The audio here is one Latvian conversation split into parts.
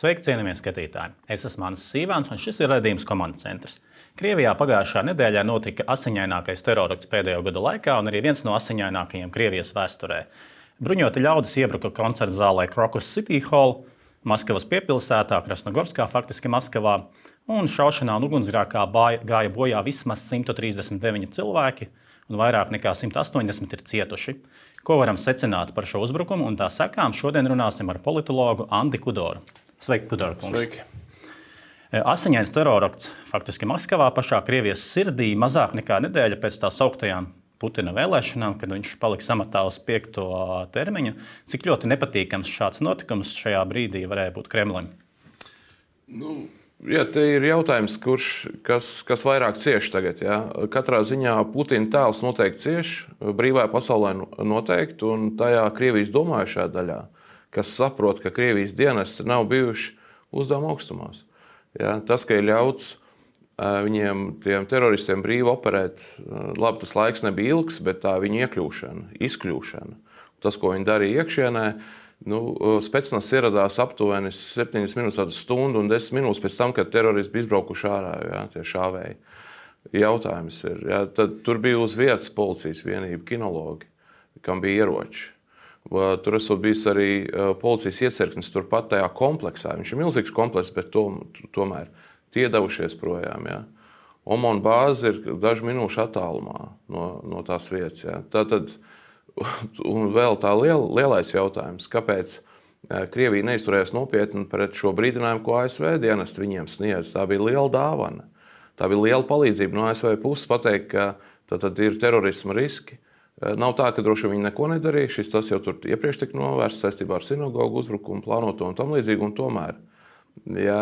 Sveiki, cienījamie skatītāji! Es esmu Ansis Sīvāns, un šis ir raidījums Komandas centrs. Krievijā pagājušā nedēļā notika asiņainākais terorakts pēdējo gadu laikā un arī viens no asiņainākajiem Krievijas vēsturē. Bruņoti ļaudis iebruka koncerta zālē Crocus City Hall, Maskavas piepilsētā, Krasnogorskā, faktiski Maskavā, un šaušanā un ugunsgrēkā gāja bojā vismaz 139 cilvēki, un vairāk nekā 180 ir cietuši. Ko varam secināt par šo uzbrukumu un tā sekām, šodien runāsim ar politologu Andi Kudoru. Sveiki, Kudora kungs! Sveiki! Asiņains terorakts faktiski Maskavā, pašā Krievijas sirdī, mazāk nekā nedēļa pēc tā sauktajām Putina vēlēšanām, kad viņš palika amatā uz 5. termiņu. Cik ļoti nepatīkams šāds notikums šajā brīdī varēja būt Kremlim? Te ir jautājums, kas vairāk cieš tagad. Ja? Katrā ziņā Putina tēls noteikti cieš, brīvajā pasaulē noteikti, un tajā Krievijas domājušajā daļā, kas saprot, ka Krievijas dienesti nav bijuši uzdevuma augstumās. Ja? Tas, ka ir ļauts viņiem, tiem teroristiem, brīvi operēt, labi, tas laiks nebija ilgs, bet tā viņa iekļūšana, izkļūšana, tas, ko viņi darīja iekšienē, Specnaz ieradās aptuveni 7 minūtes, stundu un 10 minūtes pēc tam, kad teroristi bija izbraukuši ārā, ja, tie šāvēji. Jautājums ir, ja, tad tur bija uz vietas policijas vienība, kinologi, kam bija ieroči. Tur esot bijis arī policijas iecirknis turpat tajā kompleksā. Viņš ir milzīgs komplekss, bet tomēr tie devušies projām. Ja. Omon bāze ir dažu minūšu attālumā no tās vietas. Ja. Tātad, un vēl tā lielais jautājums, kāpēc Krievija neizturējās nopietni pret šo brīdinājumu, ko ASV dienesti viņiem sniedz. Tā bija liela dāvana. Tā bija liela palīdzība no ASV puses pateikt, ka tad ir terorisma riski. Nav tā, ka droši viņi neko nedarīja. Tas jau tur iepriekš tika novērsts saistībā ar sinagogu uzbrukumu, plānoto un tam līdzīgi. Un tomēr, ja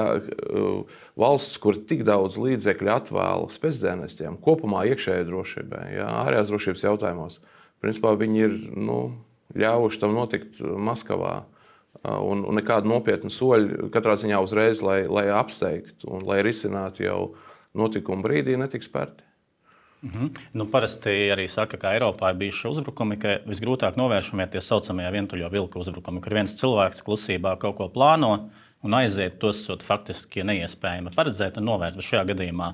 valsts, kur tik daudz līdzekļu atvēla spēcdienestiem, kopumā iekšējai drošībai, ja, ārējās drošības jautājumos, principā viņi ir ļāvuši tam notikt Maskavā. Un nekādu nopietnu soļu katrā ziņā uzreiz, lai apsteigtu un lai risinātu jau notikumu brīdī, netiks spērti. Parasti arī saka, ka Eiropā ir bijuši uzbrukumi, ka visgrūtāk novēršamie tie saucamie vientuļo vilku uzbrukumi, kur viens cilvēks klusībā kaut ko plāno un aiziet, tos faktiski neiespējami paredzēt un novērst. Bet šajā gadījumā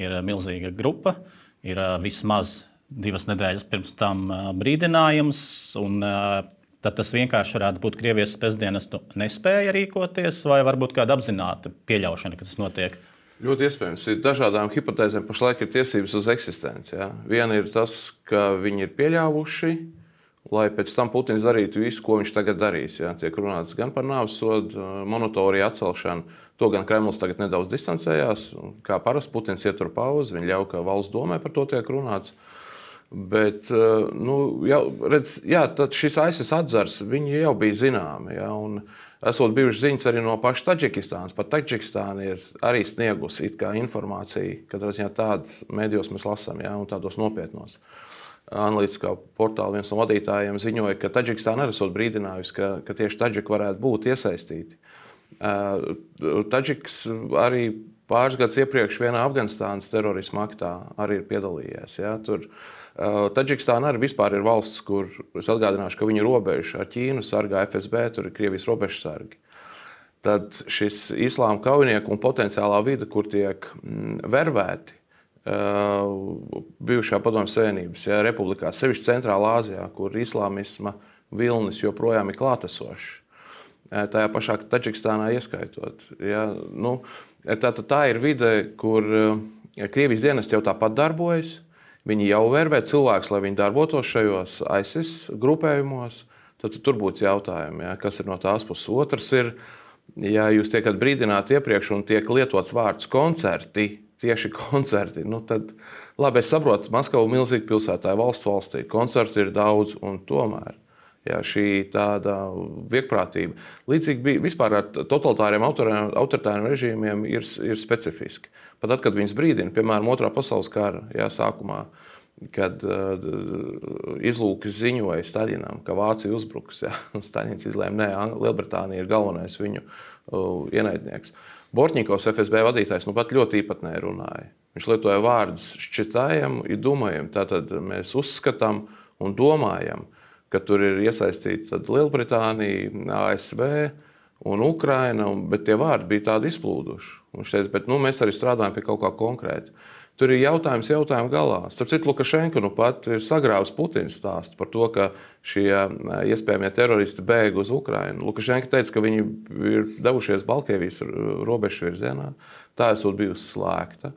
ir milzīga grupa, ir vismaz 2 nedēļas pirms tam brīdinājums, un tad tas vienkārši varētu būt Krievijas spēcdienestu nespēja rīkoties, vai varbūt kāda apzināta pieļaušana, ka tas notiek? Ļoti iespējams. Ir dažādām hipotēzēm pašlaik ir tiesības uz eksistenci. Ja? Viena ir tas, ka viņi ir pieļāvuši, lai pēc tam Putins darītu visu, ko viņš tagad darīs. Ja? Tiek runāts gan par nāvessodu, moratoriju atcelšanu. To gan Kremlis tagad nedaudz distancējās. Kā parasti Putins ietur pauzi, viņi ļauj, ka valsts domē par to tiek runāts. Bet tad šis ISIS atzars, viņi jau bija zināmi. Ja? Un esot bijuši ziņas arī no paša Taģikistānas. Pat Taģikistāna ir arī sniegusi informāciju, katrā ziņā tādas mēdījos mēs lasām, ja? Un tādos nopietnos. Analītiskā portāla viens no vadītājiem ziņoja, ka Taģikistāna arī esot brīdinājusi, ka tieši Taģiki varētu būt iesaistīti. Taģiks arī pāris gadus iepriekš vienā Afganistānas terorisma aktā arī ir piedalījies. Ja? Taģikistāna arī vispār ir valsts, kur es atgādināšu, ka viņu robežu ar Ķīnu sargā FSB, tur ir Krievijas robežsargi. Tad šis islāma kaujinieku un potenciālā vide, kur tiek vervēti bijušā Padomju Savienības republikā, sevišķi Centrālā Āzijā, kur islāmisma vilnis joprojām ir klātesošs. Tajā pašā Taģikistānā ieskaitot. Ja? Tā ir vide, kur Krievijas dienesti jau tāpat darbojas. Viņi jau vervē cilvēkus, lai viņi darbotos šajos ISIS grupējumos. Tad tur būtu jautājumi, ja, kas ir no tās puses. Otrs ir, ja jūs tiekat brīdināti iepriekš un tiek lietots vārds koncerti, tieši koncerti, tad labi, es saprotu, Maskava milzīga pilsētā, valstī, koncerti ir daudz un tomēr. Ja, šī tāda viegprātība. Līdzīgi bija vispār ar totalitāriem autoritāriem režīmiem ir specifiski. Pat tad, kad viņus brīdina, piemēram, 2. pasaules kara sākumā, kad izlūkis ziņoja Staļinam, ka Vācija uzbruks. Ja, Staļins izlēma, nē, Lielbritānija ir galvenais viņu ienaidnieks. Bortņikovs, FSB vadītājs, pat ļoti īpatnēji runāja. Viņš lietoja vārdus šķitājam, domājam, tātad mēs uzskatām un domājam, ka tur ir iesaistīta Lielbritānija, ASV, un Ukraina, bet tie vārdi bija tādi izplūduši. Viņš teica, bet mēs arī strādājam pie kaut kā konkrēta. Tur ir jautājums galā. Starp citu, Lukašenko pat ir sagrāvis Putina stāstu par to, ka šie iespējamie teroristi bēg uz Ukrainu. Lukašenko teica, ka viņi ir devušies Baltkrievijas robežas virzienā. Tā esot bijusi slēgta.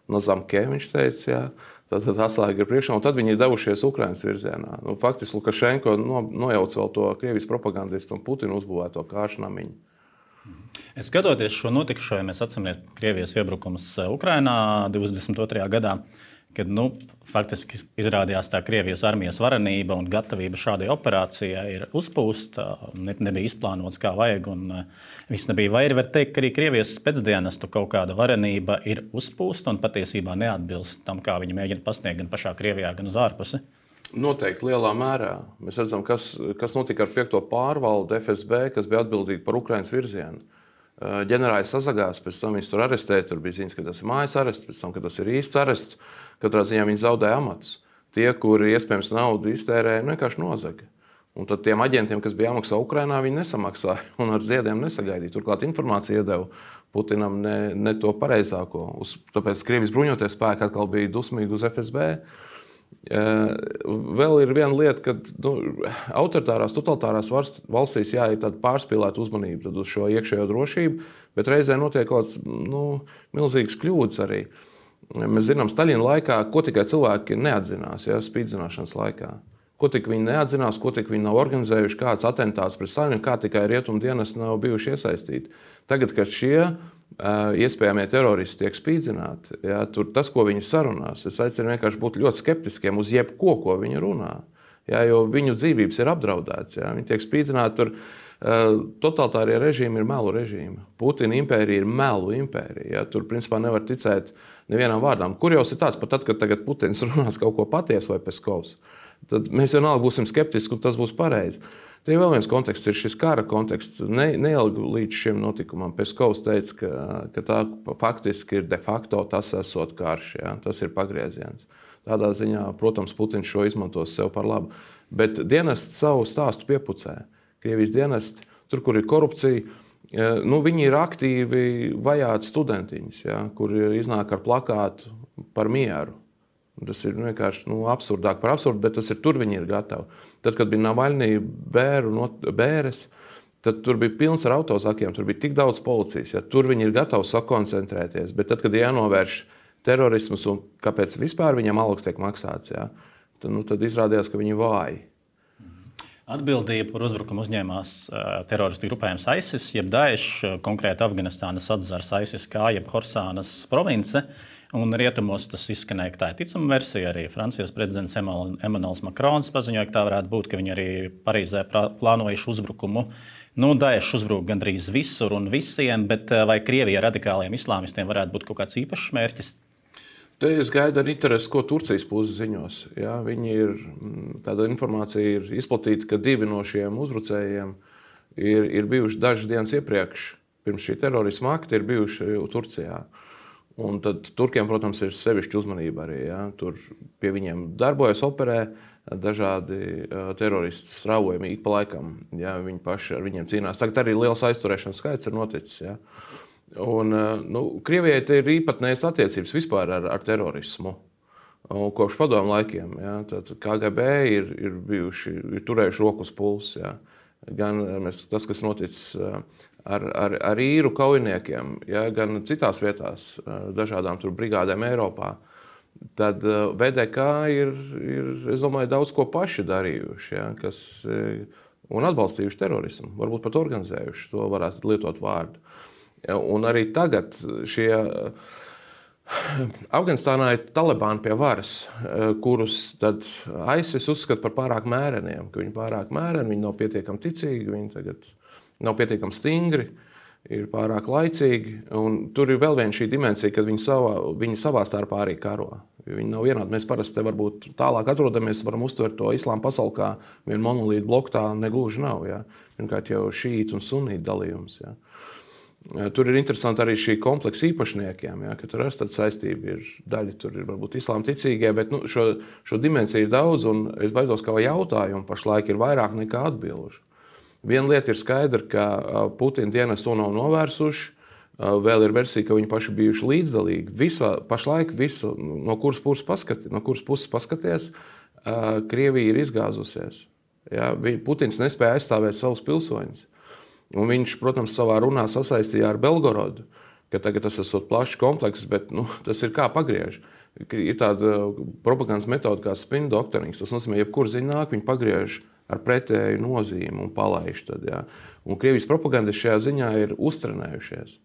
No Zamke viņš teica, jā. Tad atslēga ir priekšā, un tad viņi ir devušies Ukrainas virzienā. Faktiski Lukašenko nojauc vēl to Krievijas propagandistu un Putinu uzbūvēto kāršnamiņu. Skatoties šo notikušo, ja mēs atceramies Krievijas iebrukums Ukrainā 22. gadā, kad faktiski izrādījās tā Krievijas armijas varenība un gatavība šādai operācijai ir uzpūsta, nebija izplānots kā vajag un viss nebija. Vai var teikt, ka arī Krievijas spēcdienestu kaut kāda varenība ir uzpūsta un patiesībā neatbilst tam, kā viņi mēģina pasniegt gan pašā Krievijā, gan uz ārpusi? Noteikti lielā mērā. Mēs redzam, kas notika ar 5. pārvaldu FSB, kas bija atbildīgi par Ukrainas virzienu. Ģenerālis sazagās, pēc tam viņus tur arestēja. Tur bija ziņas, ka tas ir mājas arests, pēc tam, ka tas ir īsts arests. Katrā ziņā viņi zaudēja amatus. Tie, kuri iespējams naudu iztērēja, vienkārši nozaga. Un tad tiem aģentiem, kas bija jāmaksā Ukrainā, viņi nesamaksāja un ar ziediem nesagaidīja. Turklāt informācija iedeva Putinam ne to pareizāko. Tāpēc Krievijas bruņoties spēki atkal bija dusmīgi uz FSB. Vēl ir viena lieta, ka autoritārās, totalitārās valstīs ir tāda pārspīlēta uzmanība uz šo iekšējo drošību, bet reizē notiek kaut kāds milzīgs kļūdas arī. Mēs zinām, Staļina laikā, ko tikai cilvēki neatzinās, spīdzināšanas laikā. Ko tik viņi neatzinās, ko tik viņi nav organizējuši, kāds atentāts pret Staļinu, kā tikai rietumu dienesti nav bijuši iesaistīti. Tagad, kad šie iespējamie teroristi tiek spīdzināti, tur tas, ko viņi sarunās, es aicinu vienkārši būt ļoti skeptiskiem uz jebko, ko viņi runā. Jo viņu dzīvības ir apdraudētas. Viņi tiek spīdzināti tur. Totalitārie režīmi ir melu režīmi. Putina impērija ir melu impērija. Tur principā nevar ticēt nevienam vārdam. Kur jau ir tāds, pat tad, kad tagad Putins runās kaut ko patiesu vai Peskovs, tad mēs vienalga būsim skeptiski, un tas būs pareizi. Te vēl viens konteksts ir šis kara konteksts. Neilgi līdz šim notikumam Peskovs teica, ka tā faktiski ir de facto tas esot karš. Tas ir pagrieziens. Tādā ziņā, protams, Putins šo izmantos sev par labu. Bet dienests savu stāstu piepucē. Krievijas dienesti, tur, kur ir korupcija, viņi ir aktīvi vajāti studentiņus, kuri iznāk ar plakātu par mieru. Tas ir vienkārši absurdāk par absurdu, bet tas ir tur viņi ir gatavi. Tad, kad bija Navaļnī bēres, tad tur bija pilns ar autozakiem, tur bija tik daudz policijas. Tur viņi ir gatavi sakoncentrēties, bet tad, kad jānovērš terorismus un kāpēc vispār viņam algas tiek maksāts, tad izrādījās, ka viņi vāji. Atbildību par uzbrukumu uzņēmās teroristu grupējums ISIS, jeb Daesh, konkrēti Afganistānas atzars ISIS kā jeb Horsānas province. Un rietumos tas izskanēja, ka tā ir ticama versija. Arī Francijas prezidents Emmanuels Macrons paziņoja, ka tā varētu būt, ka viņi arī Parīzē plānojuši uzbrukumu. Daesh uzbruk gandrīz visur un visiem, bet vai Krievija radikāliem islāmistiem varētu būt kaut kāds īpašs mērķis? Te es gaidu ar interesi, ko Turcijas puse ziņos. Tāda informācija ir izplatīta, ka 2 no šiem uzbrucējiem ir bijuši dažas dienas iepriekš, pirms šī terorisma akta, ir bijuši Turcijā. Un tad turkiem, protams, ir sevišķa uzmanība arī. Tur pie viņiem darbojas, operē dažādi teroristi straujami ik pa laikam. Viņi paši ar viņiem cīnās. Tagad arī liels aizturēšanas skaits ir noticis. Un, Krievijai te ir īpatnējas attiecības vispār ar terorismu. Kopš padomu laikiem. Tad KGB ir turējuši roku uz pulsa. Gan tas, kas noticis ar īru kaujiniekiem, gan citās vietās, dažādām tur brigādēm Eiropā. Tad VDK ir, es domāju, daudz ko paši darījuši, un atbalstījuši terorismu. Varbūt pat organizējuši, to varētu lietot vārdu. Un arī tagad šie Afganistānā ir talibāni pie varas, kurus tad ISIS uzskata par pārāk mēreniem, ka viņi pārāk mēreni, viņi nav pietiekami ticīgi, viņi tagad nav pietiekami stingri, ir pārāk laicīgi. Un tur ir vēl viena šī dimensija, kad viņi savā starpā arī karo. Viņi nav vienādi. Mēs parasti varbūt tālāk atrodamies, varam uztvert to islāma pasauli kā vienu monolītu bloku, tā negluži nav. Pirmkārt jau šītu un sunītu dalījums. Tur ir interesanti arī šī kompleksa īpašniekiem, ka tur tāda saistība ir daļa, tur ir varbūt islāma ticīgie, bet šo dimensiju ir daudz, un es baidos, ka jautājumu pašlaik ir vairāk nekā atbilžu. Viena lieta ir skaidra, ka Putina dienas to nav novērsuši. Vēl ir versija, ka viņi paši bijuši līdzdalīgi. Pašlaik visu, no kuras puses paskaties, Krievija ir izgāzusies. Ja? Putins nespēja aizstāvēt savus pilsoņus. Un viņš, protams, savā runā sasaistīja ar Belgorodu, ka tagad tas ir plašs komplekss, bet tas ir kā pagriež. Ir tāda propagandas metode kā spin doktorings. Tas nozīmē, jebkur ziņa nāk, viņi pagriež ar pretēju nozīmi un palaiž. Tad, ja? Un Krievijas propagandisti šajā ziņā ir uztrenējušies.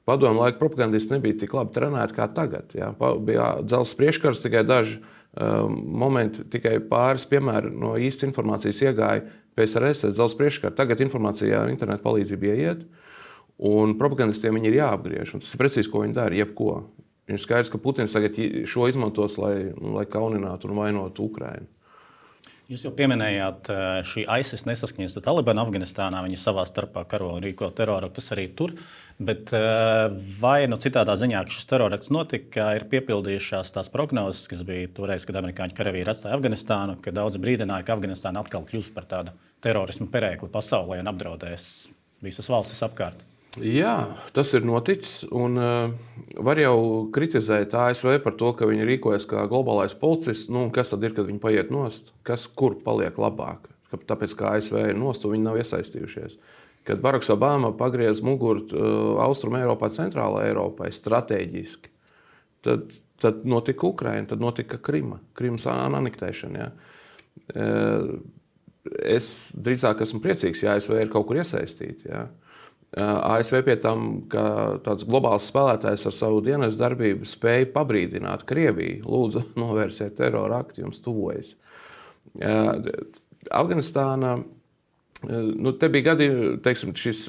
Padomu laiku propagandisti nebija tik labi trenēti kā tagad. Ja? Bija dzelzs priekškars, tikai daži momenti, tikai pāris piemēri no īstas informācijas iegāja PSRS dzelzs priekškars. Tagad informācijā ar internetu palīdzību ieiet, un propagandistiem viņi ir jāapgriež. Un tas ir precīzi, ko viņi dara, jebko. Viņš skaidrs, ka Putins tagad šo izmantos, lai kauninātu un vainotu Ukrainu. Jūs jau pieminējāt, šī ISIS nesaskaņas ar Talibanu Afganistānā. Viņi savā starpā karo un rīko teroraktus arī tur. Bet vai citādā ziņā, ka šis terorakts notika, ir piepildījušās tās prognozes, kas bija toreiz, kad amerikāņu karavīri atstāja Afganistānu, kad daudzi brīdināja, ka Afganistāna atkal kļūs par tādu terorismu perēkli pasaulē un apdraudēs visas valstis apkārt? Jā, tas ir noticis. Un var jau kritizēt ASV par to, ka viņi rīkojas kā globālais policists. Kas tad ir, kad viņi paiet nost? Kur paliek labāk? Tāpēc, ka ASV ir nost, un viņi nav iesaistījušies. Kad Baraks Obama pagriez muguru Austrum Eiropā, Centrālā Eiropai strateģiski, tad notika Ukraina, tad notika Krimas anektēšana. Ja? Es drīzāk esmu priecīgs, ja ASV ir kaut kur iesaistīti. Ja? ASV pie tam, ka tāds globāls spēlētājs ar savu dienas darbību spēja pabrīdināt Krieviju. Lūdzu, novērsiet terora aktu, jums tuvojas. Afganistāna, te bija gadi, teiksim, šis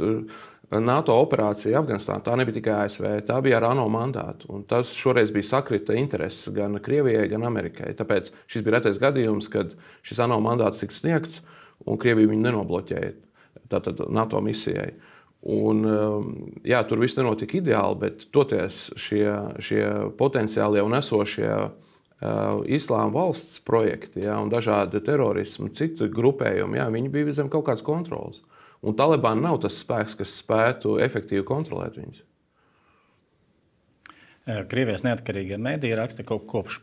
NATO operācija Afganistānā, tā nebija tikai ASV, tā bija ar ANO mandātu. Un tas šoreiz bija sakrita intereses gan Krievijai, gan Amerikai. Tāpēc šis bija retais gadījums, kad šis ANO mandāts tika sniegts un Krievija viņu nenobloķēja tātad NATO misijai. Un, jā, tur viss nenotika ideāli, bet toties šie potenciālie un esošie Islāma valsts projekti, jā, un dažādi terorismi, citu grupējumi, jā, viņi bija zem kaut kādas kontrolas. Un Talibāna nav tas spēks, kas spētu efektīvi kontrolēt viņus. Krievijas neatkarīgie mediji raksta, ka kopš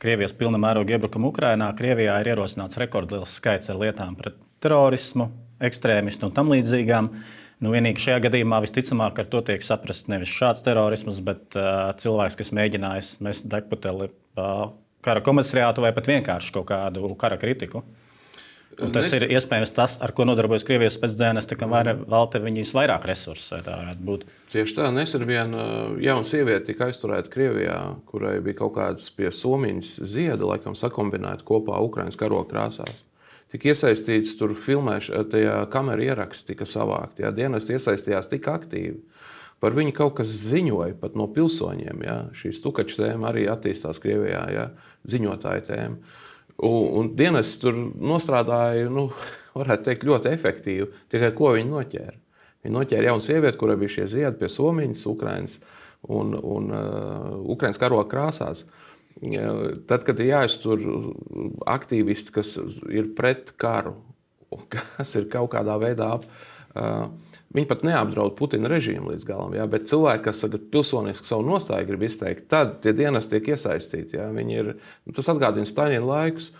Krievijas pilna mēroga iebrukuma Ukrainā Krievijā ir ierosināts rekordliels skaits ar lietām pret terorismu, ekstrēmistu un tam līdzīgām. Vienīgi šajā gadījumā visticamāk ar to tiek saprasts nevis šāds terorisms, bet cilvēks, kas mēģinājis mest degputeli kara komisariātu vai pat vienkārši kaut kādu kara kritiku. Un tas ir iespējams tas, ar ko nodarbojas Krievijas spēcdienesti, kam velta viņas vairāk resursus, vai tā varētu būt. Tieši tā, nesen viena jauna sieviete tika aizturēta Krievijā, kurai bija kaut kāds pie somiņas zieda, laikam sakombinēta kopā Ukrainas karoga krāsās. Tika iesaistīts tur tajā kameru ieraksti tika savākti. Ja? Dienesti iesaistījās tik aktīvi. Par viņu kaut kas ziņoja pat no pilsoņiem. Ja? Šī stukaču tēma arī attīstās Krievijā, ja? Ziņotāja tēma. Un dienesti tur nostrādāja, varētu teikt, ļoti efektīvi. Tikai ko viņi noķēra? Viņi noķēra jaunu sievieti, kurai bija šie ziedi pie somiņas Ukrainas un Ukrainas karoga krāsās. Tad, kad ir jāiztur aktīvisti, kas ir pret karu, kas ir kaut kādā veidā, viņi pat neapdraud Putina režīmu līdz galam, ja? Bet cilvēki, kas pilsoniski savu nostāju grib izteikt, tad tie dienesti tiek iesaistīti. Ja? Tas atgādina Staļina laikus.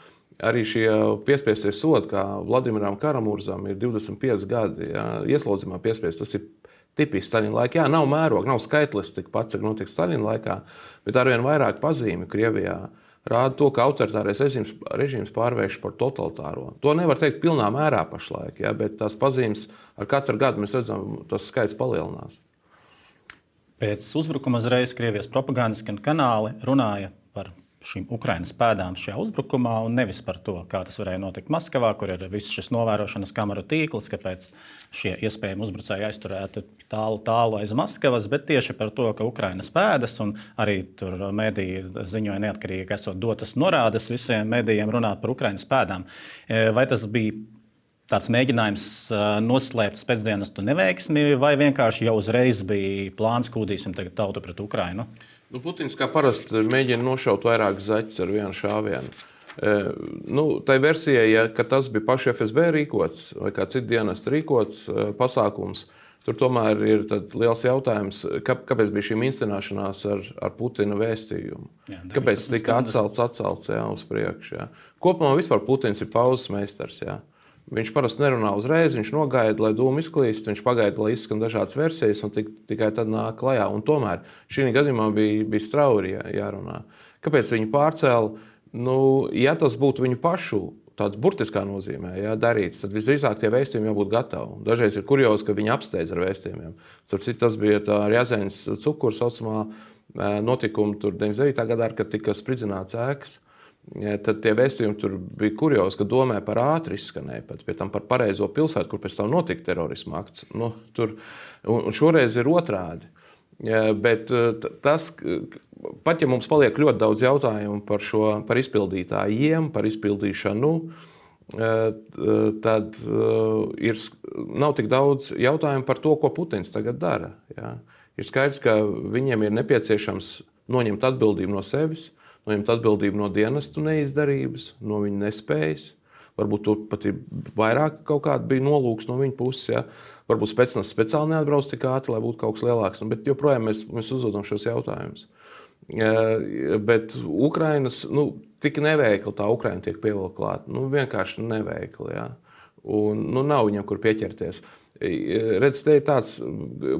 Arī šie piespiestie sodi, kā Vladimiram Karamurzam, ir 25 gadi ja? Ieslodzījumā piespiest. Tas ir tipiski Staļina laikā. Jā, nav mēroga, nav skaitlis tik pats, cik notiek Staļina laikā, bet arvien vairāk pazīmi Krievijā rāda to, ka autoritārais režīms pārvērš par totalitāro. To nevar teikt pilnā mērā pašlaik, ja, bet tās pazīmes ar katru gadu mēs redzam, tas skaits palielinās. Pēc uzbrukuma uzreiz Krievijas propagandas kanāli runāja par šīm Ukrainas pēdām šajā uzbrukumā un nevis par to, kā tas varēja notikt Maskavā, kur ir viss šis novērošanas kameru tīkls, kāpēc šie iespējami uzbrucēji aizturēti tālu aiz Maskavas, bet tieši par to, ka Ukrainas pēdas un arī tur mediji ziņoja neatkarīgi, ka esot dotas norādes visiem medijiem runāt par Ukrainas pēdām. Vai tas bija tāds mēģinājums noslēpt spēcdienestu neveiksmi, vai vienkārši jau uzreiz bija plāns kūdīsim tagad tautu pret Ukrainu? Putins kā parasti mēģina nošaut vairāk zaķus ar vienu šāvienu. Tā versija, ka tas bija paši FSB rīkots vai kā citu dienestu rīkots pasākums, tur tomēr ir liels jautājums, kāpēc bija šī inscenēšanās ar Putina vēstījumu. Kāpēc tika atcelts uz priekšu. Jā. Kopumā vispār Putins ir pauzes meistars. Jā. Viņš parasti nerunā uzreiz, viņš nogaida, lai dūmi izklīst, viņš pagaida, lai izskan dažādas versijas un tikai tad nāk klajā. Un tomēr šī gadījumā bija strauji jārunā. Kāpēc viņi pārcēla? Ja tas būtu viņu pašu tāds burtiskā nozīmē darīts, tad visdrīzāk tie vēstījumi jābūt gatavi. Dažreiz ir kuriozi, ka viņi apsteidz ar vēstījumiem. Tas bija ar Jāzeņas cukuru saucamā notikuma 99. gadā, kad tika spridzināts ēkas. Tad tie vēstījumi tur bija kuriozi, ka domē par ātri izskanēja, pie tam par pareizo pilsētu, kur pēc tam notika terorisma akts. Un šoreiz ir otrādi. Bet tas, pat ja mums paliek ļoti daudz jautājumu par izpildītājiem, par izpildīšanu, tad nav tik daudz jautājumu par to, ko Putins tagad dara. Ja? Ir skaidrs, ka viņiem ir nepieciešams noņemt atbildību no sevis, noņemt atbildību no dienestu neizdarības, no viņa nespējas. Varbūt tur pat ir vairāk kaut kāda bija nolūks no viņa puses. Ja? Varbūt spēcnas speciāli neatbrauc tik ātri, lai būtu kaut kas lielāks. Bet joprojām mēs uzdodam šos jautājumus. Bet Ukrainas, tik neveikli tā Ukraina tiek pievilkta klāt. Vienkārši neveikli. Ja? Un nav viņam, kur pieķerties. Redz, te ir tāds,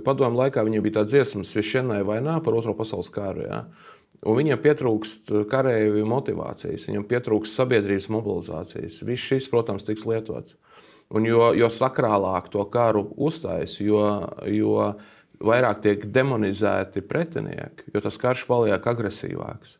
padomu laikā viņiem bija tā dziesma Sviešenai vainā par Otro pasaules kāru. Ja? Un viņiem pietrūkst kareivju motivācijas, viņiem pietrūkst sabiedrības mobilizācijas. Viss šis, protams, tiks lietots. Un jo sakrālāk to karu uztais, jo vairāk tiek demonizēti pretinieki, jo tas karš paliek agresīvāks.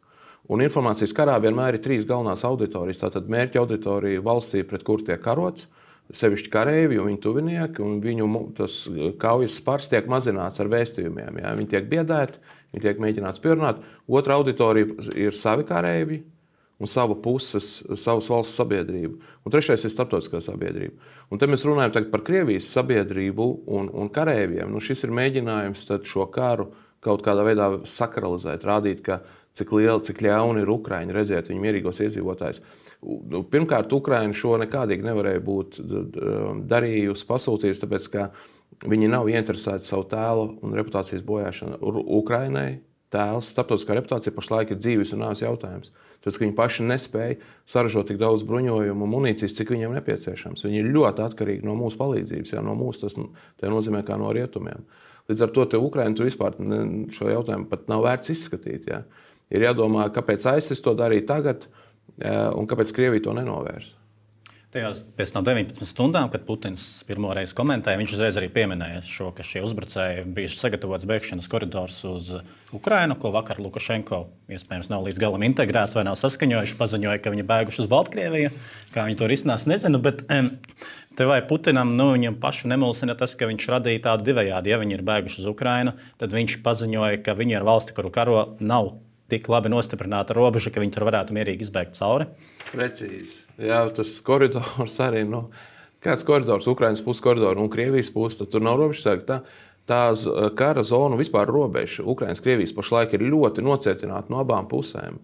Un informācijas karā vienmēr ir 3 galvenās auditorijas. Tātad mērķa auditorija valstī, pret kur tiek karots, sevišķi kareivi un viņu tuvinieki, un viņu tas kaujas spars tiek mazināts ar vēstījumiem. Ja? Viņi tiek biedēti, viņi tiek mēģināts pierunāt. Otra auditorija ir savi kareivi un savas valsts sabiedrība. Un trešais ir starptautiskā sabiedrība. Un te mēs runājam tagad par Krievijas sabiedrību un kareiviem. Šis ir mēģinājums tad šo karu kaut kādā veidā sakralizēt, rādīt, ka cik ļauni ir Ukraiņi, redziet viņu mierīgos iedzīvotājus. Pirmkārt, Ukraina šo nekādīgi nevarēja būt darījusi, pasūtījusi, tāpēc, ka viņi nav ieinteresēti savu tēlu un reputācijas bojāšanu. Ukrainai tēls, starptautiskā reputācija pašlaik ir dzīves un nāves jautājums. Tāpēc, ka viņi paši nespēja saražot tik daudz bruņojumu un munīcijas, cik viņiem nepieciešams. Viņi ir ļoti atkarīgi no mūsu palīdzības, no mūsu, tas nozīmē kā no rietumiem. Līdz ar to Ukraina tur vispār šo jautājumu pat nav vērts izskatīt. Ja? Ir jādomā, kāpēc ISIS to darīja tagad, un kāpēc Krievija to nenovērsa? Tajās pēc tam 19 stundām, kad Putins pirmo reizi komentēja, viņš uzreiz arī pieminēja šo, ka šie uzbrucēji bija sagatavots bēgšanas koridors uz Ukrainu, ko vakar Lukašenko iespējams nav līdz galam integrēts vai nav saskaņojuši, paziņoja, ka viņi bēguši uz Baltkrieviju. Kā viņi to risinās, nezinu, bet te vai Putinam, viņam pašu nemulsina tas, ka viņš radīja tādu divējādi. Ja viņi ir bēguši uz Ukrainu, tad viņš paziņoja, ka viņi ir valsti, kuru karo nav tik labi nostiprināta robeža, ka viņi tur varētu mierīgi izbēgt cauri. Precīzi. Jā, tas koridors arī, kāds koridors, Ukrainas puses koridors un Krievijas puses, tad tur nav robežsargi. Tā kara zona vispār robeža Ukrainas, Krievijas pašlaik ir ļoti nocietināta no abām pusēm.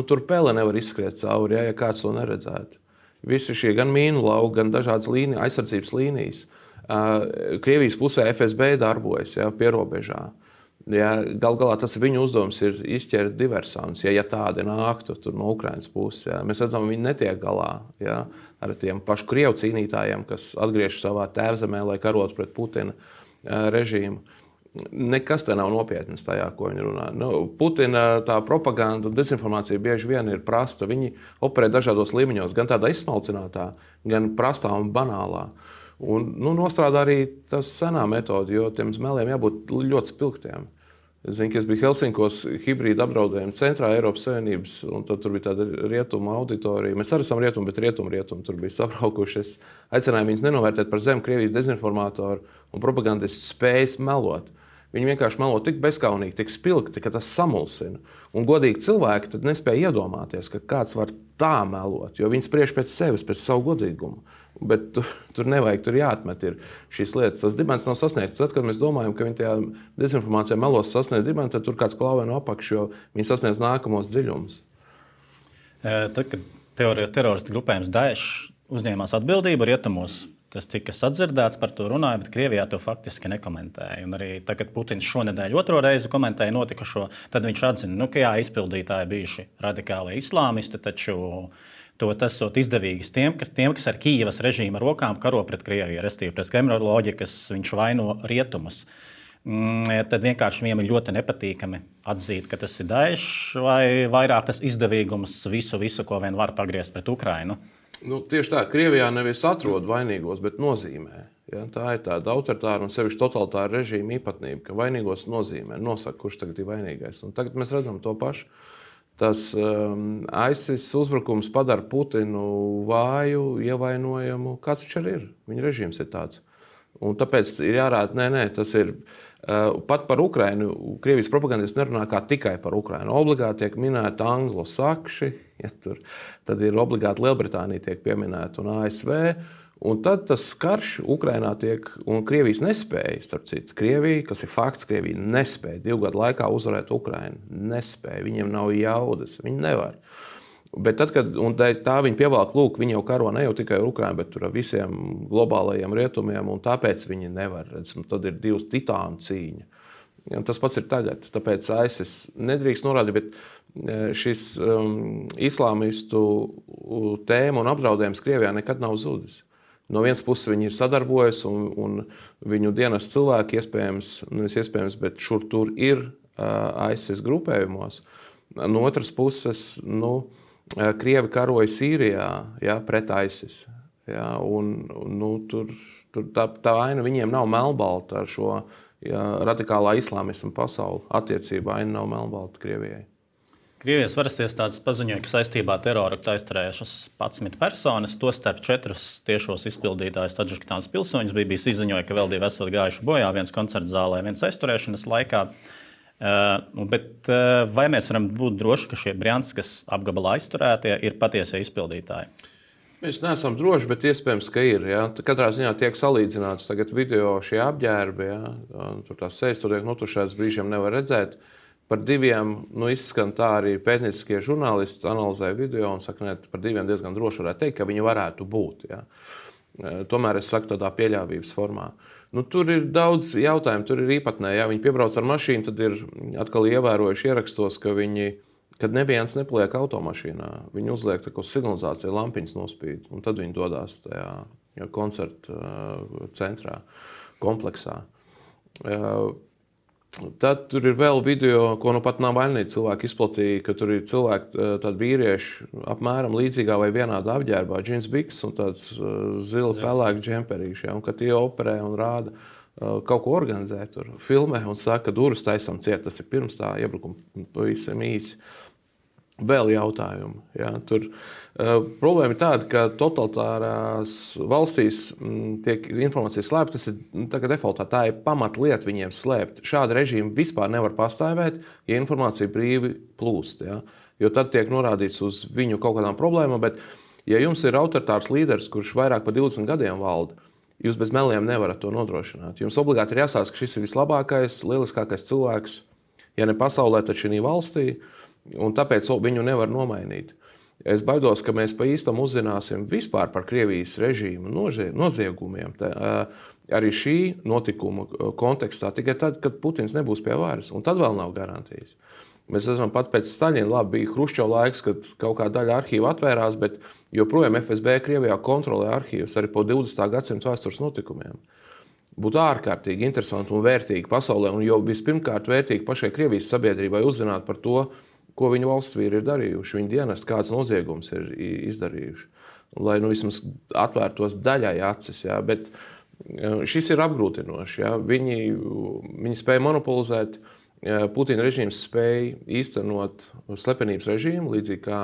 Tur pele nevar izskriet cauri, ja kāds to neredzētu. Visi šie gan mīnu lauki, gan dažādas aizsardzības līnijas. Krievijas pusē FSB darbojas, pie robežā. Ja, gal galā tas viņu uzdevums ir izķert diversantus, ja tādi nāktu no Ukrainas puses. Ja. Mēs redzam, viņi netiek galā ar tiem pašu krievu cīnītājiem, kas atgriežas savā tēvzemē, lai karotu pret Putina režīmu. Nekas te nav nopietnas tajā, ko viņi runā. Putina tā propaganda un dezinformācija bieži vien ir prasta. Viņi operē dažādos līmeņos, gan tādā izsmalcinātā, gan prastā un banālā. Un nostrādā arī tas senā metode, jo tiem meliem jābūt ļoti spilgtiem. Es zinu, ka es biju Helsinkos hibrīda apdraudējuma centrā Eiropas Savienības, un tad tur bija tāda rietuma auditorija. Mēs arī esam rietumi, bet rietumi tur bija sabraukuši. Es aicināju viņus nenovērtēt par zemu Krievijas dezinformātoru un propagandistu spējas melot. Viņi vienkārši melo tik bezkaunīgi, tik spilgti, ka tas samulsina. Un godīgi cilvēki tad nespēja iedomāties, ka kāds var tā melot, jo viņi spriež pēc sevis, pēc savu godīgumu. Bet tur nevajag, tur jāatmet ir šīs lietas. Tas dibens nav sasniegts. Tad, kad mēs domājam, ka viņi tajā dezinformācijā melos sasniedz dibenu, tad tur kāds klauvē no apakš, jo viņi sasniedz nākamos dziļumus. Tad, kad teroristu grupējums Daesh uzņēmās atbildību rietumos. Tas tika sadzirdēts, par to runāja, bet Krievijā to faktiski nekomentēja. Un arī tagad Putins šonedēļ otro reizi komentēja notikušo, tad viņš atzina, ka jā, izpildītāji bijuši radikāli islāmisti, taču tas ir izdevīgs tiem, kas ar Kijevas režīma rokām karo pret Krieviju, respektīvi pret Kremļa loģikas, viņš vaino rietumus. Tad vienkārši viņiem ir ļoti nepatīkami atzīt, ka tas ir Daesh vai vairāk tas izdevīgums visu, ko vien var pagriezt pret Ukrainu. Tieši tā, Krievijā nevis atrod vainīgos, bet nozīmē. Ja? Tā ir tāda autoritāra un sevišķi totalitāra režīma īpatnība, ka vainīgos nozīmē, nosaka, kurš tagad ir vainīgais. Un tagad mēs redzam to pašu. Tas ISIS uzbrukums padara Putinu vāju, ievainojamu. Kāds viņš arī ir? Viņa režīms ir tāds. Un tāpēc ir jārāda, tas ir pat par Ukrainu. Krievijas propagandisti nerunā tikai par Ukrainu. Obligāti tiek minēti anglosakši, tad ir obligāti Lielbritānija tiek pieminēta un ASV. Un tad tas karš Ukrainā tiek, un Krievijas nespēja, starp citu, Krievija, kas ir fakts, Krievija nespēja 2 gadu laikā uzvarēt Ukrainu. Nespēja, viņiem nav jaudas, viņi nevar. Bet tad, kad tā viņi pievelk, viņi jau karo ne jau tikai ar Ukrainu, bet ar visiem globālajiem rietumiem, un tāpēc viņi nevar. Tad ir 2 titānu cīņa. Ja, tas pats ir tagad. Tāpēc ISIS nedrīkst norādīt, bet šis islāmistu tēma un apdraudējums Krievijā nekad nav zudis. No vienas puses viņi ir sadarbojas, un viņu dienas cilvēki iespējams, bet šur tur ir ISIS grupējumos. No otras puses, Krievi karoja Sīrijā, pret ISIS. Ja, tur tā vaina viņiem nav melnbalta ar šo radikālā islāmisma pasauli. Attiecībā vaina nav melnbalta Krievijai. Krievijas varas iestādes paziņoja, ka saistībā ar teroraktu aizturējušas 11 personas, tostarp 4 tiešos izpildītājus Tadžikistānas pilsoņus. BBC ziņoja, ka vēl 2 esot gājuši bojā, viens koncerta zālē, viens aizturēšanas laikā. Bet vai mēs varam būt droši, ka šie Brjanskas apgabala aizturētie ir patiesie izpildītāji? Mēs neesam droši, bet iespējams, ka ir. Ja? Katrā ziņā tiek salīdzināts tagad video šie apģērbi. Ja? Tur tās sejas tur tiek notušētas, brīžiem nevar redzēt. Par 2 izskan tā arī pētnieciskie žurnālisti analizēja video un saka, ka par 2 diezgan droši varētu teikt, ka viņi varētu būt. Ja? Tomēr es saku tādā pieļāvības formā. Tur ir daudz jautājumu, tur ir īpatnēji. Ja viņi piebrauc ar mašīnu, tad ir atkal ievērojuši ierakstos, ka kad neviens nepaliek automašīnā, viņi uzliek uz signalizāciju, lampiņas nospīd, un tad viņi dodas tajā koncerta centrā, kompleksā. Tad tur ir vēl video, ko pat Navalnī cilvēki izplatīja, ka tur ir cilvēki, tādi vīrieši, apmēram līdzīgā vai vienādā apģērbā, džins biks un tāds zila pelēks džemperīši, un ka tie operē un rāda, kaut ko organizē tur, filmē un saka, ka durvis taisam ciet, tas ir pirms tā iebrukuma pavisam īsi. Vēl jautājumi. Ja, problēma ir tāda, ka totalitārās valstīs tiek informācija slēpta. Tas ir tagad defaultā. Tā ir pamatlieta viņiem slēpt. Šāda režīma vispār nevar pastāvēt, ja informācija brīvi plūst. Ja, jo tad tiek norādīts uz viņu kaut kādām problēmām. Bet, ja jums ir autoritārs līderis, kurš vairāk par 20 gadiem valda, jūs bez meliem nevarat to nodrošināt. Jums obligāti ir jāsāsta, ka šis ir vislabākais, lieliskākais cilvēks, ja ne pasaulē, tad šī valstī. Un tāpēc viņu nevar nomainīt. Es baidos, ka mēs pa īstam uzzināsim vispār par Krievijas režīmu noziegumiem. Arī šī notikuma kontekstā tikai tad, kad Putins nebūs pie varas. Un tad vēl nav garantijas. Mēs redzam, pat pēc Staļina bija Hruščova laiks, kad kaut kāda daļa arhīva atvērās, bet joprojām FSB Krievijā kontrolē arhīvus arī po 20. gadsimta vēstures notikumiem. Būtu ārkārtīgi interesanti un vērtīgi pasaulē, un jau vispirmkārt vērtīgi pašai Krievijas sabiedrībai uzzināt par to, ko viņu valsts vīri ir darījuši, viņu dienesti, kādas noziegumus ir izdarījuši. Lai vismaz atvērtos daļai acis. Ja? Bet šis ir apgrūtinoši. Ja? Viņi spēja monopolizēt, Putina režīms spēja īstenot slepenības režīmu, līdzīgi kā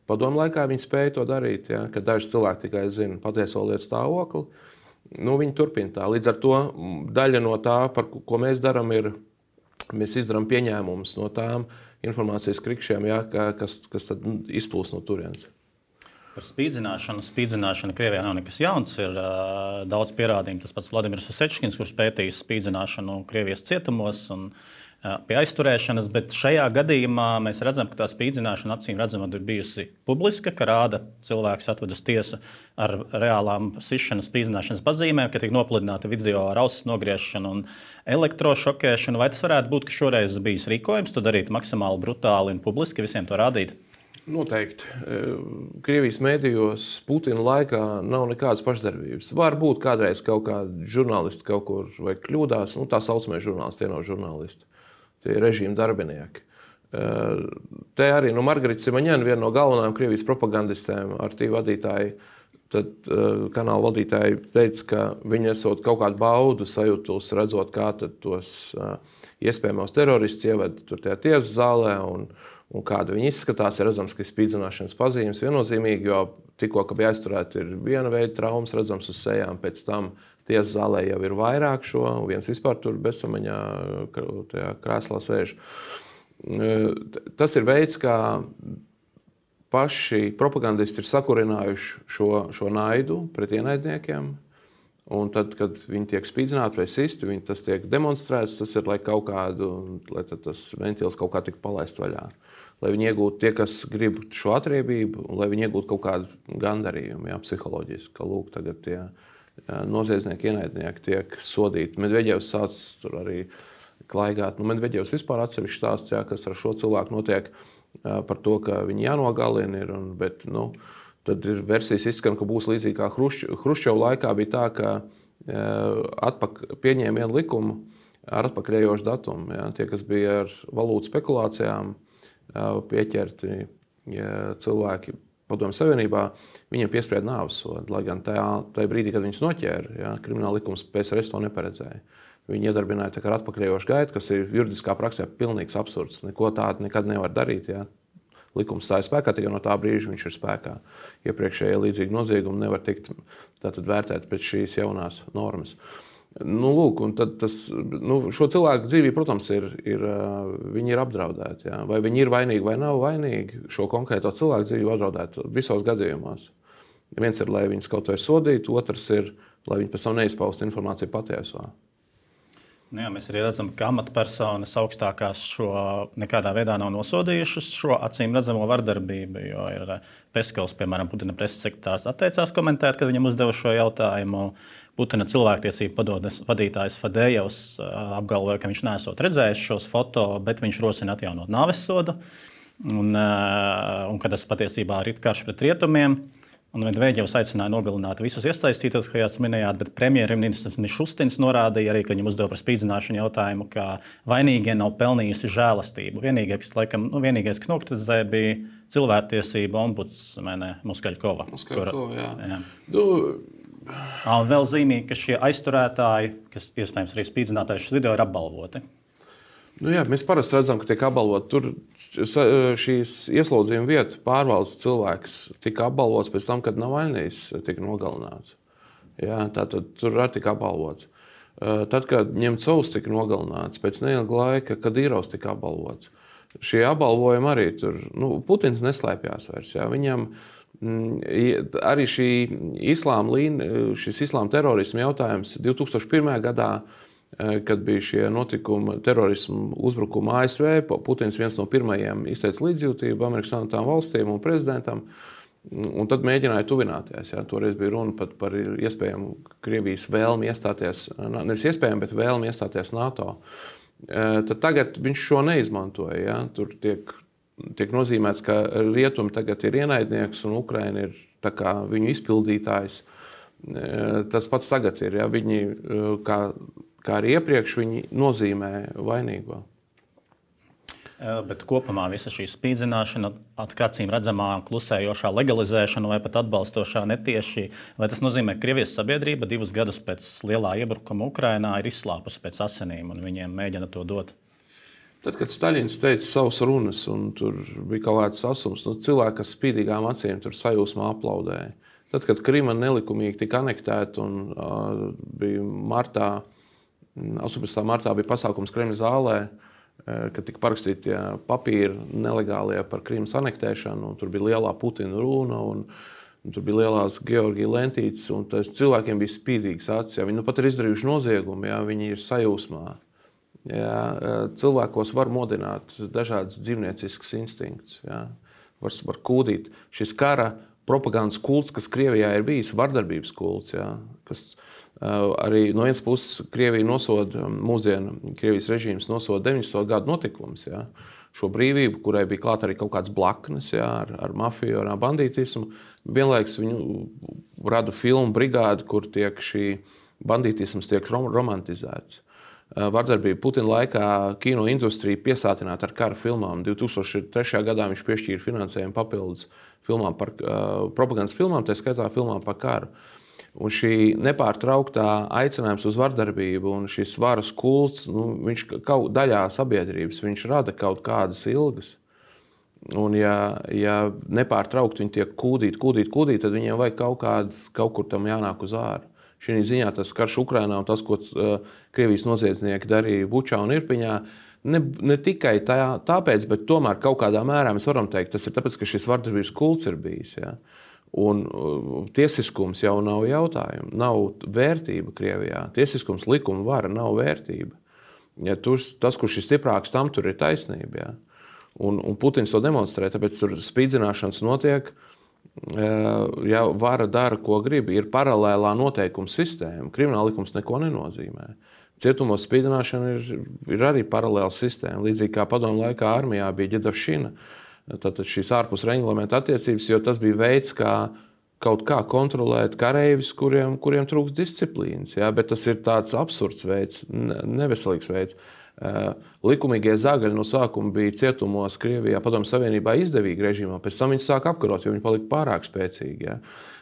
padomu laikā viņi spēja to darīt, ja? Kad daži cilvēki tikai zina patieso lietu stāvokli. Viņi turpina tā. Līdz ar to daļa no tā, par ko mēs darām, ir, mēs izdarām pieņēmumus no tām informācijas krikšiem, ja, kas tad izplūst no turienes. Par spīdzināšanu. Spīdzināšana Krievijā nav nekas jauns. Ir daudz pierādījumu. Tas pats Vladimirs Osečkins, kurš pētījis spīdzināšanu Krievijas cietumos. Un, pie aizturēšanas, bet šajā gadījumā mēs redzam, ka tā spīdzināšana acīm redzamot ir bijusi publiska, ka rāda cilvēks atved uz tiesu ar reālām sišanas, spīdzināšanas pazīmēm, ka tiek nopludināta video ar ausis nogriešanu un elektrošokēšanu. Vai tas varētu būt, ka šoreiz bijis rīkojums to darīt maksimāli brutāli un publiski visiem to rādīt? Noteikti. Krievijas mēdījos Putina laikā nav nekādas pašdarbības. Varbūt kādreiz kaut kādi žurnālisti kaut kur vai kļūdās, tā saucamie žurnālisti, tie nav žurnālisti. Tie ir režīma darbinieki. Te arī Margarita Simaņēna, viena no galvenajām Krievijas propagandistēm, ar tīvu vadītāju, tad kanāla vadītāji teica, ka viņi esot kaut kādu baudu sajūtus, redzot, kā tos iespējamos teroristus ieved tur tajā tiesas zālē un kāda viņi izskatās. Ir redzams, ka ir spīdzināšanas pazīmes viennozīmīgi, jo tikko, ka bija aizturēti, ir viena veida traumas redzams uz sejām, pēc tam tiesas zālē jau ir vairāk šo, viens vispār tur bezsamaņā tajā krēslā sēž. Tas ir veids, kā paši propagandisti ir sakurinājuši šo naidu pret ienaidniekiem. Un tad, kad viņi tiek spīdzināti vai sisti, tas tiek demonstrēts, tas ir, lai tas ventils kaut kā tik palaist vaļā. Lai viņi iegūtu tie, kas grib šo atriebību, un lai viņi iegūtu kaut kādu gandarījumu, psiholoģiski, ka lūk, tagad tie noziedznieki, ienaidnieki tiek sodīti. Medveģevs sāc tur arī klaigāt. Medveģevs vispār atsevišķi stāsts, kas ar šo cilvēku notiek par to, ka viņi jānogalina ir, bet tad ir versijas izskan, ka būs līdzīgi kā Hruščova laikā bija tā, ka pieņēma vienu likumu ar atpakaļējošu datumu. Tie, kas bija ar valūtu spekulācijām pieķerti cilvēki Padomju Savienībā, viņiem piesprieda nāves sodu, lai gan tajā brīdī, kad viņus noķēra, krimināla likums PSRS to neparedzēja. Viņi iedarbināja tā kā ar atpakaļējošu gaitu, kas ir juridiskā praksē pilnīgs absurds. Neko tādu nekad nevar darīt. Likums stāja spēkā, tikai no tā brīža viņš ir spēkā. Iepriekšējie līdzīgi noziegumi nevar tikt vērtēti pēc šīs jaunās normas. Lūk, un tad šo cilvēku dzīvību, protams, viņi ir apdraudēti. Vai viņi ir vainīgi vai nav vainīgi, šo konkrēto cilvēku dzīvību apdraudēt visos gadījumos. Viens ir, lai viņus kaut vai sodītu, otrs ir, lai viņi pēc tam neizpaustu informāciju patieso. Mēs arī redzam, ka amatpersonas augstākās šo nekādā veidā nav nosodījušas šo acīm redzamo vardarbību, jo ir Peskovs, piemēram, Putina preses sekretārs, atteicās komentēt, kad viņam uzdeva šo jautājumu. Putina cilvēktiesību padomes vadītājs Fadejevs apgalvoja, ka viņš neesot redzējis šos foto, bet viņš rosina atjaunot nāvessodu, un ka tas patiesībā ir karš pret rietumiem. Un Medveģevs aicināja nogalināt visus iesaistītos, kā jūs minējāt, bet premjerministrs Mišustins norādīja arī, ka viņam uzdeva par spīdzināšanu jautājumu, ka vainīgie nav pelnījusi žēlastību. Vienīgais, kas nokritizēja, bija cilvēktiesība ombudsmene Moskaļkova. Jā. Un vēl zīmīgi, ka šie aizturētāji, kas iespējams arī spīdzinātāji šis video, ir apbalvoti. Mēs parasti redzam, ka tiek apbalvoti. Tur šīs ieslodzījuma vietu pārvaldes cilvēks tika apbalvots pēc tam, kad Navaļnijs tika nogalināts. Tātad tur arī tika apbalvots. Tad, kad Ņemcovs tika nogalināts, pēc neilga laika, kad Kadīrovs tika apbalvots. Šie apbalvojumi arī tur, Putins neslēpjās vairs. Viņam arī šis islāma terorisma jautājums 2001. gadā, kad bija šie notikumi, terorismu uzbrukumi ASV, Putins viens no pirmajiem izteica līdzjūtību Amerikas Savienotām valstīm un prezidentam, un tad mēģināja tuvināties. Toreiz bija runa pat par iespējamu Krievijas vēlmi iestāties, nevis iespējamu, bet vēlmi iestāties NATO. Tad tagad viņš šo neizmantoja. Tur tiek nozīmēts, ka rietumi tagad ir ienaidnieks un Ukraina ir tā kā viņu izpildītājs. Tas pats tagad ir. Viņi, kā arī iepriekš, viņi nozīmē vainīgo. Bet kopumā visa šī spīdzināšana, acīm redzamā klusējošā legalizēšana vai pat atbalstošā netieši, vai tas nozīmē, ka Krievijas sabiedrība 2 gadus pēc lielā iebrukuma Ukrainā ir izslāpusi pēc asinīm un viņiem mēģina to dot? Tad, kad Staļins teica savas runas un tur bija kaut kāds asums, cilvēki, kas spīdīgām acīm tur sajūsmā aplaudēja. Tad, kad Krima nelikumīgi tika anektēta un bija 18. martā bija pasākums Kremļa zālē, kad tika parakstīti papīri nelegālie par Krimas anektēšanu, un tur bija lielā Putina runa, un tur bija lielās Georgija lentītes, un cilvēkiem bija spīdīgas acis. Viņi pat ir izdarījuši noziegumu, viņi ir sajūsmā. Jā, cilvēkos var modināt dažādas dzīvnieciskas instinktus. Jā. Var kūdīt. Šis kara propagandas kults, kas Krievijā ir bijis, vardarbības kults, jā, kas arī no vienas puses Krievija nosoda, mūsdienu Krievijas režīms nosoda 90. gadu notikumus. Jā. Šo brīvību, kurai bija klāt arī kaut kāds blaknes, jā, ar mafiju, ar bandītismu. Vienlaikus viņu rada filmu brigādi, kur tiek šī bandītisms tiek romantizēts. Vardarbība Putina laikā kino industrija piesātināta ar kara filmām. 2003. gadā viņš piešķīra finansējumu papildus filmām par propagandas filmām, tā skaitā filmām par karu. Un šī nepārtrauktā aicinājums uz vardarbību un šis varas kults, viņš kaut daļā sabiedrības, viņš rada kaut kādas ilgas. Un ja nepārtraukti viņi tiek kūdīti, tad viņiem vajag kaut kur tam jānāk uz āru. Šī ziņā tas karš Ukrainā un tas, ko Krievijas noziedznieki darīja Bučā un Irpiņā, ne tikai tāpēc, bet tomēr kaut kādā mērā mēs varam teikt, tas ir tāpēc, ka šis vardarbības kults ir bijis. Ja? Un tiesiskums jau nav jautājumu, nav vērtība Krievijā. Tiesiskums, likuma vara nav vērtība. Ja tas, kurš ir stiprāks, tam tur ir taisnība. Ja? Un Putins to demonstrē, tāpēc tur spīdzināšanas notiek. Ja vara dara, ko grib, ir paralēlā noteikuma sistēma. Krimināla likums neko nenozīmē. Cietumos spīdzināšana ir arī paralēla sistēma. Līdzīgi kā padomu laikā armijā bija ģedavšina, tātad šīs ārpus reglamenta attiecības, jo tas bija veids, kā kaut kā kontrolēt kareivis, kuriem trūks disciplīnas. Ja? Bet tas ir tāds absurds veids, neveselīgs veids. Likumīgie zagaļi no sākuma bija cietumos Krievijā, Padomju Savienībā izdevīgi režīmā, pēc tam viņi sāk apkarot, jo viņi palika pārāk spēcīgi. Ja?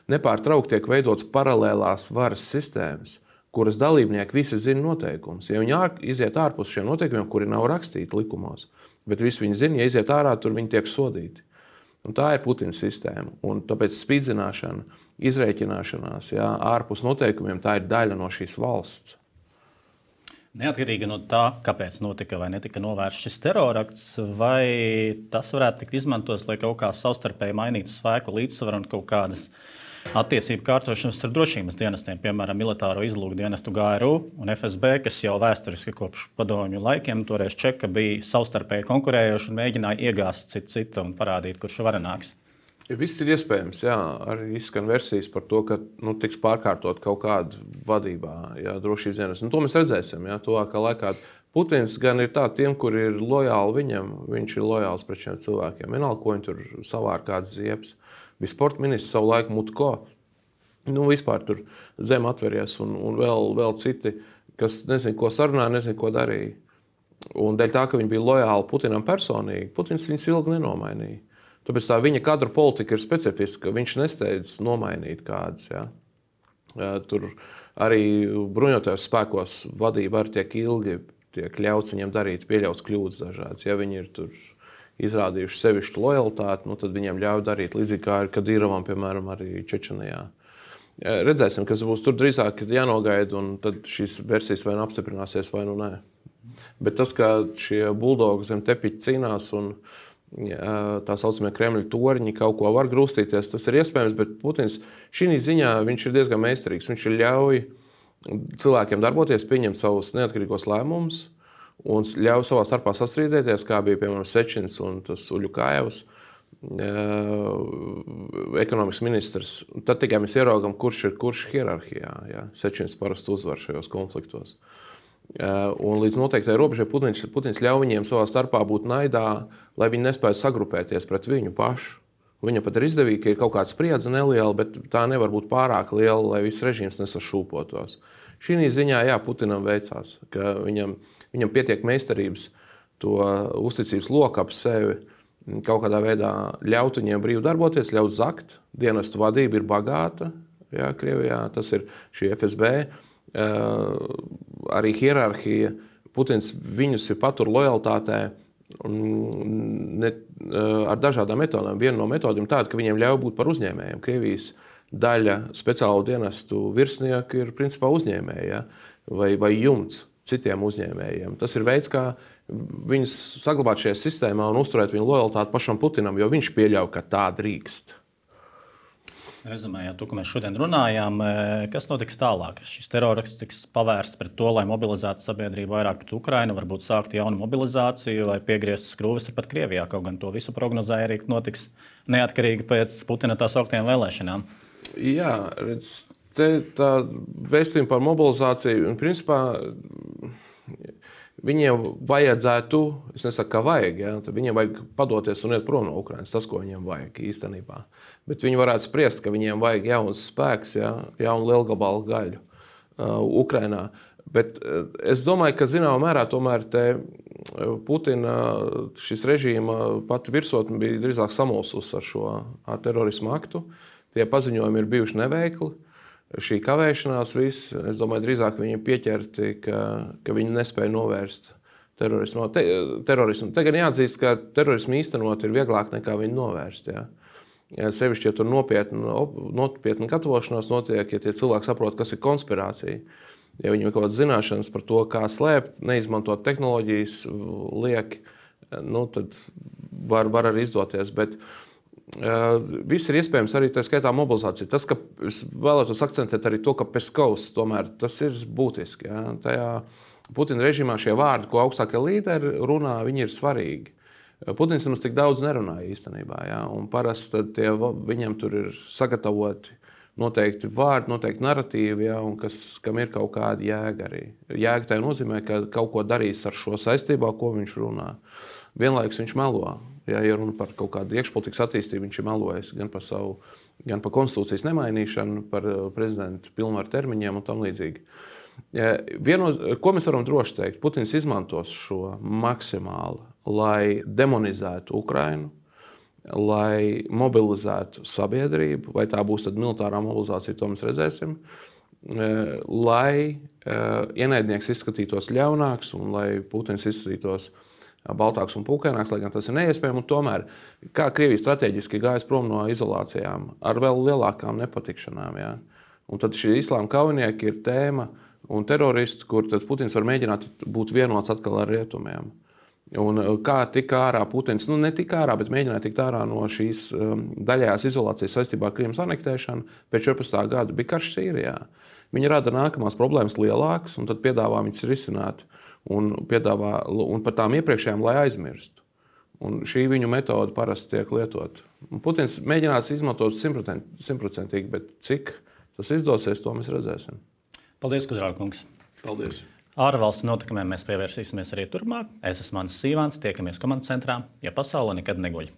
Nepārtraukti tiek veidots paralēlās varas sistēmas, kuras dalībnieki visi zina noteikumus. Ja viņi iziet ārpus šiem noteikumiem, kuri nav rakstīti likumos, bet visi viņi zina, ja iziet ārā, tur viņi tiek sodīti. Un tā ir Putina sistēma. Un tāpēc spīdzināšana, izrēķināšanās, ja, ārpus noteikumiem, tā ir daļa no šīs valsts. Neatkarīgi no tā, kāpēc notika vai netika novērsts šis terorakts, vai tas varētu tikt izmantots, lai kaut kā savstarpēji mainītu spēku līdzsvaru un kaut kādas attiecību kārtošanas ar drošības dienestiem, piemēram, militāro izlūku dienestu GRU un FSB, kas jau vēsturiski kopš padomju laikiem toreiz Čeka bija savstarpēji konkurējoši un mēģināja iegāzt citu un parādīt, kurš ir varenāks. Viss ir iespējams, jā. Arī izskan versijas par to, ka tiks pārkārtot kaut kāda vadībā, jā, drošības dienas. To mēs redzēsim, jā, tuvākā laikā. Putins gan ir tā, tiem, kur ir lojāli viņam, viņš ir lojāls pret šiem cilvēkiem. Vienalga, ko viņi tur savār kāds ziepes. Bija sporta ministrs savu laiku Mutko. Vispār tur zem atveries un vēl citi, kas nezinu, ko sarunāja, nezinu, ko darīja. Un dēļ tā, ka viņi bija lojāli Putinam personīgi, Putins viņus ilgi nenomainīja. Tāpēc tā viņa kadra politika ir specifiska. Viņš nesteidz nomainīt kādus. Ja. Tur arī bruņotajos spēkos vadība arī tiek ļauts viņiem darīt, pieļauts kļūdas dažādas. Ja viņi ir tur izrādījuši sevišķu lojalitāti, tad viņiem ļauj darīt līdzīgi kā ar Kadīrovam, piemēram, arī Čečenijā. Redzēsim, kas būs tur drīzāk jānogaida, un tad šīs versijas vai nu apstiprināsies, vai nu nē. Bet tas, ka šie buldogi zem tepiķa cīnās un tā saucamie Kremļa toriņi kaut ko var grūstīties, tas ir iespējams, bet Putins šī ziņā viņš ir diezgan meistarīgs. Viņš ļauj cilvēkiem darboties, pieņemt savus neatkarīgos lēmumus un ļauj savā starpā sastrīdēties, kā bija, piemēram, Sečins un tas Uļukājevs, ekonomikas ministrs. Tad tikai mēs ieraugam, kurš ir kurš hierarhijā. Ja? Sečins parasti uzvar šajos konfliktos. Un līdz noteiktai robežai Putins ļauj viņiem savā starpā būt naidā, lai viņi nespētu sagrupēties pret viņu pašu. Viņam pat ir izdevīgi, ka ir kaut kāda spriedze neliela, bet tā nevar būt pārāk liela, lai viss režīms nesašūpotos. Šī ziņā, jā, Putinam veicās, ka viņam pietiek meistarības to uzticības loku ap sevi kaut kādā veidā ļaut viņiem brīvi darboties, ļaut zakt. Dienestu vadība ir bagāta, jā, Krievijā, tas ir šī FSB. Arī hierarhija, Putins viņus ir patur lojalitātē ar dažādām metodēm. Viena no metodēm tāda, ka viņiem ļauj būt par uzņēmējiem. Krievijas daļa speciālu dienestu virsnieku ir principā uzņēmēji, ja? vai jumts citiem uzņēmējiem. Tas ir veids, kā viņus saglabāt šajā sistēmā un uzturēt viņu lojalitāti pašam Putinam, jo viņš pieļauj, ka tā drīkst. Rezumējot to, ko mēs šodien runājām, kas notiks tālāk? Šis terrorakts tiks pavērsts pret to, lai mobilizētu sabiedrību vairāk pret Ukrainu, varbūt sākt jaunu mobilizāciju vai piegriezt skrūves pat Krievijā. Kaut gan to visu prognozēja arī, ka notiks neatkarīgi pēc Putina tā sauktajām vēlēšanām. Jā, redz, tā vēstījuma par mobilizāciju, un principā viņiem vajadzētu, es nesaku, ka vajag, ja, viņiem vajag padoties un iet prom no Ukrainas, tas, ko viņiem vajag īstenībā. Bet viņi varētu spriest, ka viņiem vajag jauns spēks, ja, jaunu lielgabalu gaļu Ukrainā. Bet es domāju, ka zināmā mērā tomēr Putina šis režīma pati virsotne bija drīzāk samulsusi ar šo terorismu aktu. Tie paziņojumi ir bijuši neveikli. Šī kavēšanās viss, es domāju, drīzāk viņi pieķerti, ka viņi nespēja novērst terorismu. Te gan jāatzīst, ka terorismu īstenot ir vieglāk nekā viņu novērst. Ja? Sevišķi, ja tur nopietna gatavošanās notiek, ja tie cilvēki saprot, kas ir konspirācija. Ja viņiem ir kaut kādas zināšanas par to, kā slēpt, neizmantot tehnoloģijas lieki, tad var arī izdoties. Bet viss ir iespējams arī tā skaitā mobilizācija. Tas, ka es vēlētos akcentēt arī to, ka Peskovs tomēr tas ir būtiski. Ja? Tajā Putina režīmā šie vārdi, ko augstākie līderi runā, viņi ir svarīgi. Putins mums tik daudz nerunāja īstenībā. Ja? Un parasti viņam tur ir sagatavoti noteikti vārdi, noteikti narratīvi, ja? Un kam ir kaut kāda jēga arī. Jēga tajā nozīmē, ka kaut ko darīs ar šo saistībā, ko viņš runā. Vienlaikus viņš melo. Ja runa par kaut kādu iekšpolitikas attīstību, viņš ir melojis gan par konstitūcijas nemainīšanu, par prezidenta pilnvaru termiņiem un tam līdzīgi. Ko mēs varam droši teikt? Putins izmantos šo maksimāli, lai demonizētu Ukrainu, lai mobilizētu sabiedrību, vai tā būs tad militārā mobilizācija, to mēs redzēsim, lai ienaidnieks izskatītos ļaunāks un lai Putins izskatītos baltāks un pūkaināks, lai gan tas ir neiespējami. Un tomēr, kā Krievija strateģiski gājas prom no izolācijām ar vēl lielākām nepatikšanām. Ja? Un tad šie islāma kaujinieki ir tēma un teroristi, kur tad Putins var mēģināt būt vienots atkal ar rietumiem. Un kā tika ārā Putins, ne tika ārā, bet mēģināja tikt ārā no šīs daļējās izolācijas saistībā ar Krimas anektēšanu pēc 14. gada bija karš Sīrijā. Viņi rada nākamās problēmas lielākas un tad piedāvā viņas risināt un par tām iepriekšējām, lai aizmirstu. Un šī viņu metode parasti tiek lietot. Un Putins mēģinās izmantot 100%, bet cik tas izdosies, to mēs redzēsim. Paldies, Kudrāva kungs. Paldies. Ārvalstu notikumiem mēs pievērsīsimies arī turpmāk. Es esmu Mans Sīvāns, tiekamies komandas centrā, ja pasaule nekad neguļ.